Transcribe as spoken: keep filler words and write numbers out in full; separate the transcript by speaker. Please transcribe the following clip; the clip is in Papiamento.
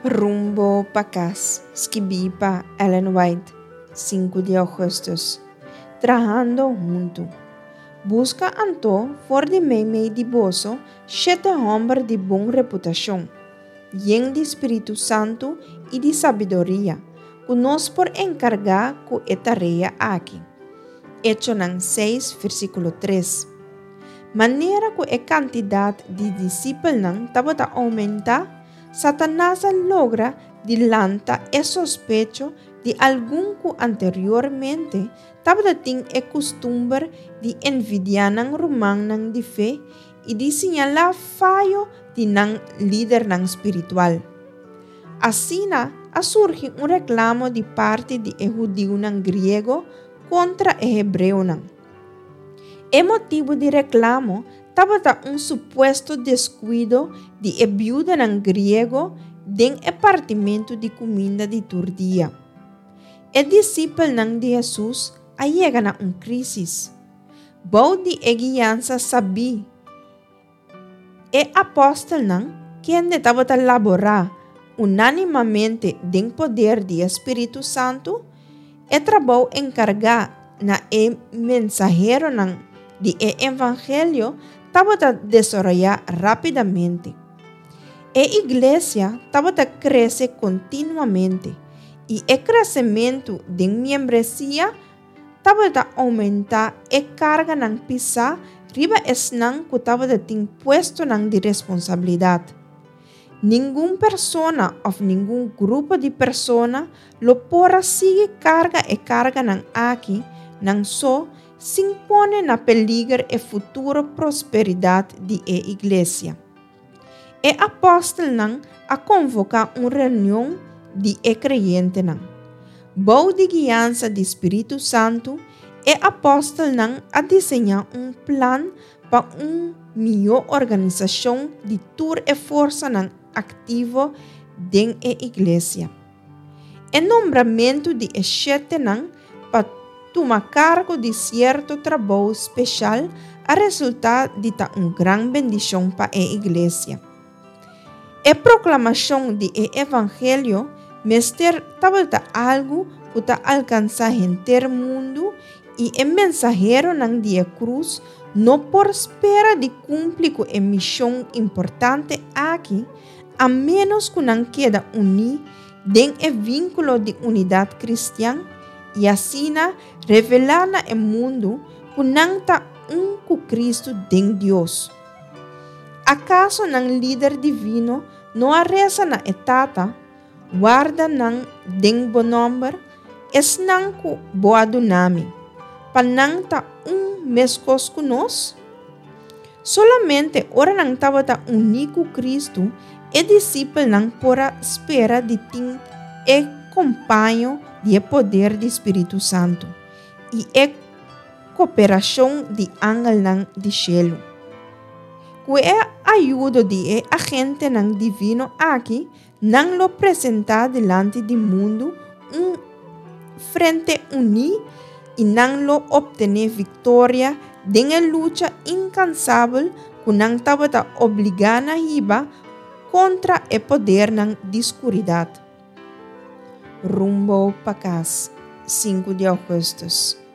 Speaker 1: Rumbo pa Kas, skibí pa Ellen White, sinku di ougùstùs. Trahando huntu. Buska anto for di meimei di boso shete hòmber di bon reputashon, yen di spiritu santu i di sabiduria, ku nos por enkargá ku e tarea aki. Echonan seis, versíkulo tres. Manera ku e kantidat di disipelnan tabata oumentá, Satanas a logra di lanta e sospecho di algun ku anteriormente tabatin e kustumber di envidiá nan rumannan di fe i di señalá fayo di nan lidernan spiritual. Asina a surgi un reklamo di parti di e hudiunan griego kontra e hebreonan. E motibu di reklamo tabata un supuesto deskuido di e biudanan griego den e partimentu di kuminda di tur dia. E disipelnan di Hesus a yega na un krísis. Bou di e guiansa sabí e apòstelnan, kende tabata laborá unánimamente den poder di e spiritu santu, e trabou enkargá na e mensaheronan di e evangelio tabata desaroyá rápidamente. E iglesia tabata krese kontinuamente i e kresementu den miembresia tabata oumentá e karganan pisá riba esnan ku tabatin puestonan di responsabilidat. Ningun persona òf ningun grupo di persona lo por a sigui karga e karganan aki nan so sin pone na peliger e futuro prosperidat di e iglesia. E apòstelnan a konvoká un reunion di e kreyentenan. Bou di guiansa di Spiritu Santu, e apòstelnan a diseñá un plan pa un mihó organisashon di tur e forsanan aktivo den e iglesia. E nombramentu di e shetenan pa tuma kargo di sierto trabou spesial a resultá di ta un gran bendishon pa e iglesia. E proklamashon di e evangelio mester tabata algu ku ta alkansá henter mundu i e mensaheronan di e krus no por spera di kumpli ku e mishon importante aki a ménos ku nan keda uní den e vínkulo di unidat kristian i asina revelá na e mundu ku nan ta un ku Kristu den Dios. Akaso nan Lider divino no a resa na e Tata, Warda nan den bo nòmber, esnan ku bo a duna mi, pa nan ta un meskos ku nos? Solamente ora nan tabata uní ku Kristu, e disipelnan por a spera di tin e kompaño di e poder di Spiritu Santu i e koperashon di angelnan di shelu. Ku e ayudo di e agentenan divino aki, nan lo presentá dilanti di mundu un frente uní i nan lo optené viktoria den e lucha inkansabel ku nan tabata obligá na hiba kontra e podernan di skuridat. Rumbo pa Kas, sinku di ougùstùs.